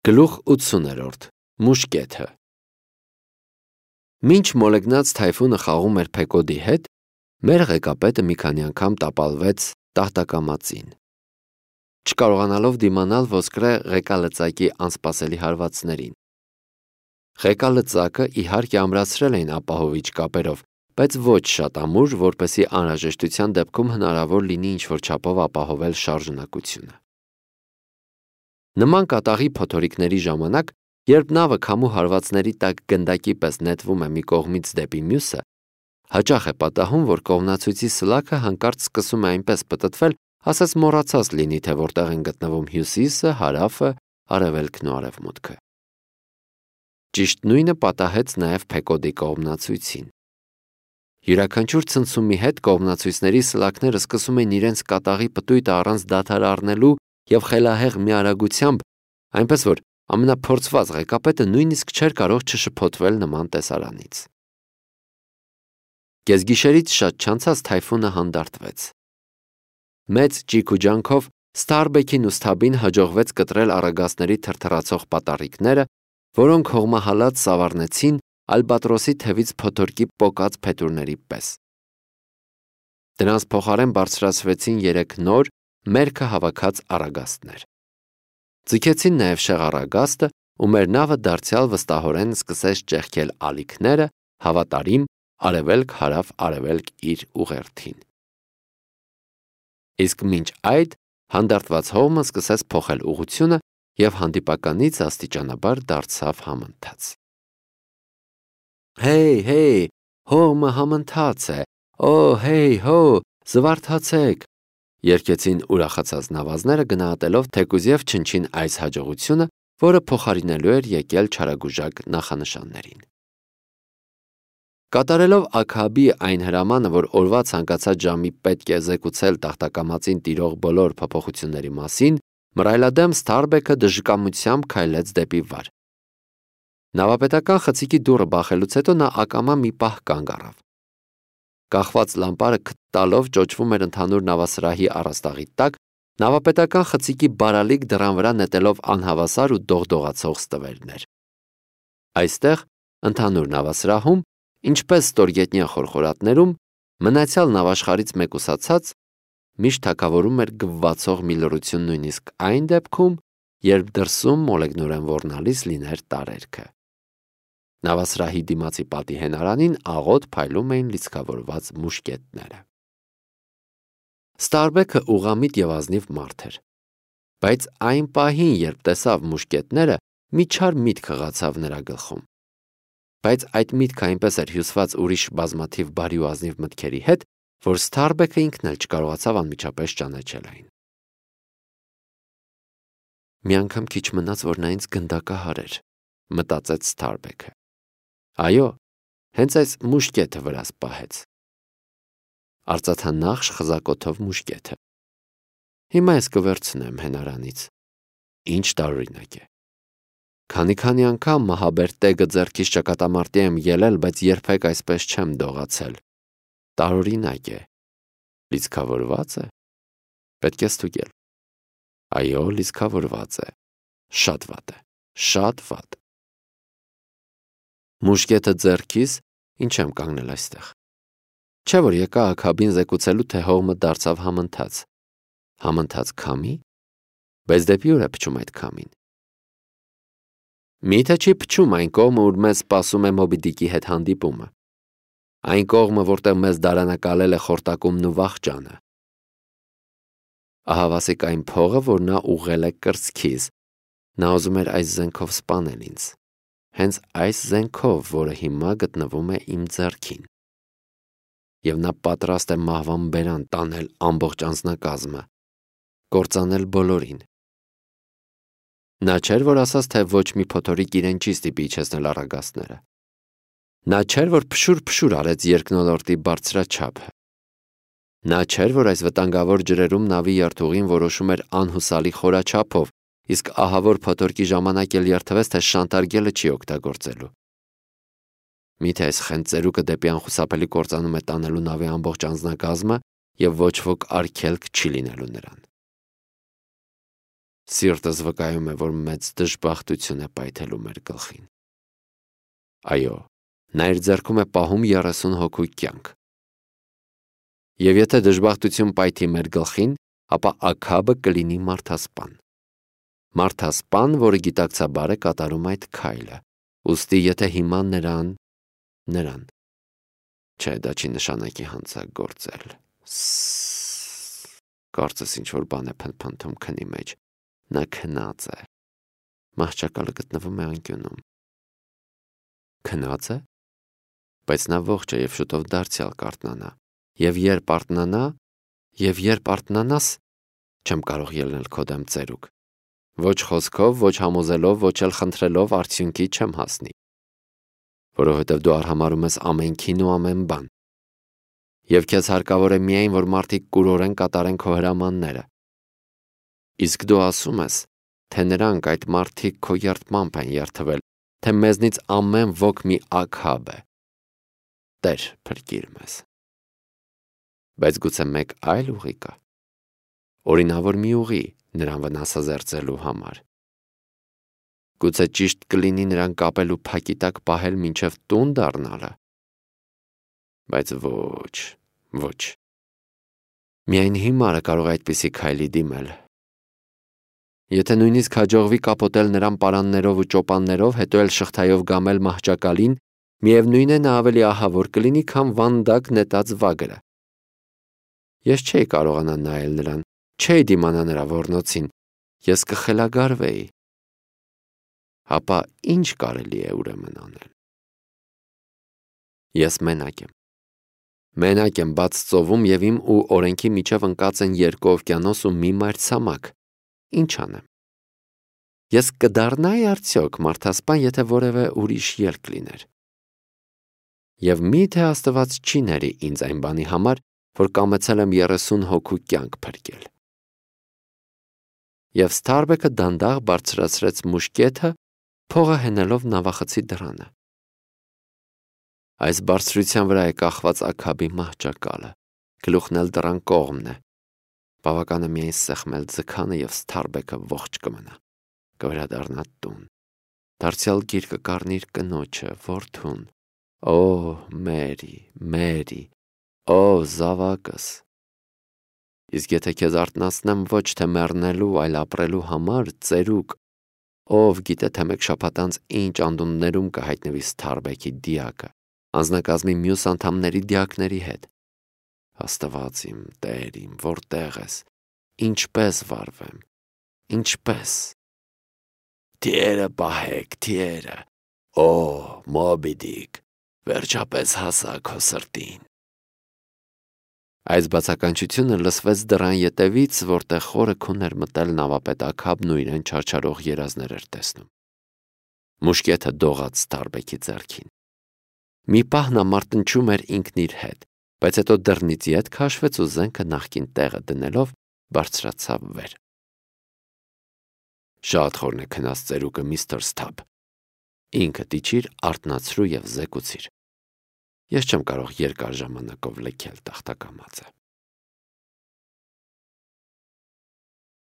Գլուխ 80-րդ Մուշկեթը Մինչ մոլեգնած թայֆունը խաղում էր Փեկոդի հետ, մեր ղեկապետը մի քանի անգամ տապալվեց տախտակամածին, չկարողանալով դիմանալ ոսկրե ղեկալծակի անսպասելի հարվածներին։ Ղեկալծակը իհարկե ամրացրել էին ապահովիչ կապերով, բայց ոչ շատ ամուր, որպեսզի անհրաժեշտության դեպքում հնարավոր լինի ինչ-որ չափով ապահովել շարժունակությունը։ Նման կատաղի փոթորիկների ժամանակ, երբ նավը քամու հարվածների տակ գնդակի պես նետվում է մի կողմից դեպի մյուսը, հաճախ է պատահում, որ կողմնացույցի սլաքը հանկարծ սկսում է այնպես պտտվել, ասես մոռացած լինի, թե որտեղ են գտնվում հյուսիսը, հարավը, արևելքն ու արևմուտքը։ Ճիշտ նույնը պատահեց նաև Փեկոդի կողմնացույցին։ Յուրաքանչյուր ցնցումի հետ կողմնացույցների սլաքները սկսում են իրենց կատաղի պտույտը առանց դադար առնելու և խելահեղ մի արագությամբ, այնպես որ ամենափորձված ղեկապետը նույնիսկ չէր կարող չշփոթվել նման տեսարանից։ Կեսգիշերից շատ չանցած թայֆունը հանդարտվեց։ Մեծ ճիգ ու ջանքով Ստարբեքին ու Սթաբին հաջողվեց կտրել առագաստների թրթռացող պատառիկները, որոնք հողմահալած սավառնեցին ալբատրոսի թևից փոթորկի պոկած փետուրների պես։ Դրանց փոխարեն բարձրացվեցին 3 նոր, մերքը հավաքած առագաստներ։ Ձգեցին նաև շեղառագաստը, ու մեր նավը դարձյալ վստահորեն սկսեց ճեղքել ալիքները, հավատարիմ արևելք-հարավ-արևելք իր ուղերձին։ Իսկ մինչ այդ հանդարտված հողմը սկսեց փոխել ուղղությունը և հանդիպականից աստիճանաբար դարձավ համընթաց։ Հեյ, հողմը համընթաց է, օ, հեյ, հո, զվարթացեք, երգեցին ուրախացած նավազները գնահատելով թեկուզև չնչին այս հաջողությունը, որը փոխարինելու էր եկել չարագուժակ նախանշաններին։ Կատարելով Աքաբի այն հրամանը, որ օրվա ցանկացած ժամի պետք է զեկուցել տախտակամածին տիրող բոլոր փոփոխությունների մասին, մռայլադեմ Ստարբեքը դժկամությամբ քայլեց դեպի վար։ Նավապետական խցիկի դուռը բախելուց հետո նա ակամա մի պահ կանգ առավ։ Կախված լամպարը քթ տալով ճոճվում էր ընդհանուր նավասրահի առաստաղի տակ, նավապետական խցիկի բարալիկ դռան վրա նետելով անհավասար ու դողդողացող ստվերներ։ Այստեղ, ընդհանուր նավասրահում, ինչպես ստորգետնյա խորխորատներում, մնացյալ նավաշխարհից մեկուսացած, միշտ թագավորում էր գվվացող մի լռություն նույնիսկ այն դեպքում, երբ դրսում մոլեգնորեն ոռնալից լիներ տարերքը։ Նավասրահի դիմացի պատի հենարանին աղոտ փայլում էին լիցքավորված մուշկետները։ Ստարբեքը ուղղամիտ և ազնիվ մարդ էր, բայց այն պահին, երբ տեսավ մուշկետները, մի չար միտք հղացավ նրա գլխում։ Բայց այդ միտքը այնպես էր հյուսված ուրիշ բազմաթիվ բարի ու ազնիվ մտքերի հետ, որ Ստարբեքը ինքն էլ չկարողացավ անմիջապես ճանաչել այն։ Մի անգամ քիչ մնաց, որ նա ինձ գնդակահարեր, մտածեց Ստարբեքը։ Այո, հենց այս մուշկետը վրաս պահեց։ Արծաթանախշ խզակոթով մուշկետը։ Հիմա ես կվերցնեմ հենարանից։ Ինչ տարօրինակ է։ Քանի անգամ մահաբեր տեգը ձեռքից ճակատամարտի եմ ելել, բայց երբեք այսպես չեմ դողացել։ Տարօրինակ է։ Լիցքավորված է։ Պետք է ստուգել։ Այո, լիցքավորված է։ Շատ վատ է։ Շատ վատ։ Մուշկետը ձեռքիս, ինչ եմ կանգնել այստեղ։ Չէ՞ որ եկա Աքաբին զեկուցելու, թե հողմը դարձավ համընթաց։ Համընթաց քամի։ Բայց դեպի ուր է փչում այդ քամին։ Միթե չի փչում այն կողմը, ուր մեզ սպասում է Մոբի Դիկի հետ հանդիպումը։ Այն կողմը, որտեղ մեզ դարանակալել է խորտակումն ու վախճանը։ Ահավասիկ այն փողը, որ նա ուղղել է կրծքիս։ Նա ուզում էր այս զենքով սպանել ինձ։ Հենց այս զենքով, որը հիմա գտնվում է իմ ձեռքին։ Եվ նա պատրաստ է մահվան բերան տանել ամբողջ անձնակազմը, կործանել բոլորին։ Նա չէր, որ ասաց, թե ոչ մի փոթորիկ իրեն չի ստիպի իջեցնել առագաստները։ Նա չէր, որ փշուր արեց երկնոլորտի բարձրաչափը։ Նա չէր, որ այս վտանգավոր ջրերում նավի երթուղին որոշում էր անհուսալի խորաչափով, իսկ ահավոր փոթորկի ժամանակ էլ երթվեց, թե շանտարգելը չի օգտագործելու։ Միթե այս խենթ ծերուկը դեպի անխուսափելի կործանում է տանելու նավի ամբողջ անձնակազմը և ոչ ոք արգելք չի լինելու նրան։ Սիրտս վկայում է, որ մեծ դժբախտություն է պայթելու մեր գլխին։ Այո, նա իր ձեռքում է պահում 30 հոգու կյանք։ Եվ եթե դժբախտություն պայթի մեր գլխին, ապա Աքաբը կլինի մարդասպան։ Մարդասպան, որը գիտակցաբար է կատարում այդ քայլը։ Ուստի եթե հիմա նրան, չէ, դա չի նշանակի հանցագործել։ Կարծես ինչ-որ բան է փնթփնթում քնի մեջ։ Նա քնած է։ Մահճակալը գտնվում է անկյունում։ Քնած է։ Բայց նա ողջ է և շուտով դարձյալ կարթնանա։ Եվ երբ արթնանաս, չեմ կարող ելնել քո դեմ ծերուկ։ Ոչ խոսքով, ոչ համոզելով, ոչ էլ խնդրելով արդյունքի չեմ հասնի։ Որովհետև դու արհամարհում ես ամենքին ու ամեն բան։ Եվ քեզ հարկավոր է միայն, որ մարդիկ կուրորեն կատարեն քո հրամանները։ Իսկ դու ասում ես, թե նրանք այդ մարդիկ քո երդմամբ են երդվել, թե մեզնից ամեն ոք մի Աքաբ է։ Տեր, փրկիր մեզ։ Բայց գուցե մեկ այլ ուղի կա։ Օրինավոր մի ուղի նրան վնասազերծելու համար։ Գուցե ճիշտ կլինի նրան կապել ու փակի տակ պահել մինչև տուն դառնալը։ Բայց ոչ։ Միայն հիմարը կարող է այդպիսի քայլի դիմել։ Եթե նույնիսկ հաջողվի կապոտել նրան պարաններով ու ճոպաններով, հետո էլ շղթայով գամել մահճակալին, միևնույն է նա ավելի ահավոր կլինի, քան վանդակ նետած վագրը։ Ես չէի կարողանա նայել նրան, չէի դիմանա նրա ոռնոցին, ես կխելագարվեի։ Ապա ինչ կարելի է ուրեմն անել։ Ես մենակ եմ բաց ծովում և իմ ու օրենքի միջև ընկած են 2 օվկիանոս ու մի մայրցամաք։ Ինչ անեմ։ Ես կդառնայի արդյոք մարդասպան, եթե որևէ ուրիշ ելք լիներ։ Եվ միթե Աստված չի ների ինձ այն բանի համար, որ կամեցել եմ 30 հոգու կյանք փրկել։ Եվ Սթարբեքը դանդաղ բարձրացրեց մուշկետը, փողը հենելով նավախցի դռանը։ Այս բարձրության վրա է կախված Աքաբի մահճակալը, գլուխն էլ դռան կողմն է։ Բավական է միայն սեղմել ձգանը և Սթարբեքը ողջ կմնա, կվերադառնա տուն։ Դարձյալ գիրկը կառնիր կնոջը, որդուն։ Օ, Մերի, օ, զավակս։ Իսկ եթե քեզ արթնացնեմ ոչ թե մեռնելու, այլ ապրելու համար, ծերուկ, ով գիտե թե մեկ շաբաթ անց ինչ անդունդներում կհայտնվի Սթարբեքի դիակը, անձնակազմի մյուս անդամների դիակների հետ։ Աստված իմ, Տեր իմ, որտեղ ես, ինչպես վարվեմ, ինչպես։ Թիերը պահեք, թիերը, օ, Մոբի Դիկ, վերջապես հասա քո սրտին։ Այս բացականչությունը լսվեց դռան ետևից, որտեղ խորը քուն էր մտել նավապետ Աքաբն ու իրեն չարչարող երազներ էր տեսնում։ Մուշկետը դողաց Սթարբեքի ձեռքին։ Մի պահ նա մարտնչում էր ինքն իր հետ, բայց հետո դռնից ետ քաշվեց ու զենքը նախկին տեղը դնելով բարձրացավ վեր։ Շատ խորն է քնած ծերուկը, միստր Սթաբ։ Ինքդ իջիր, արթնացրու և զեկուցիր։ Ես չեմ կարող երկար ժամանակով լքել տախտակամածը։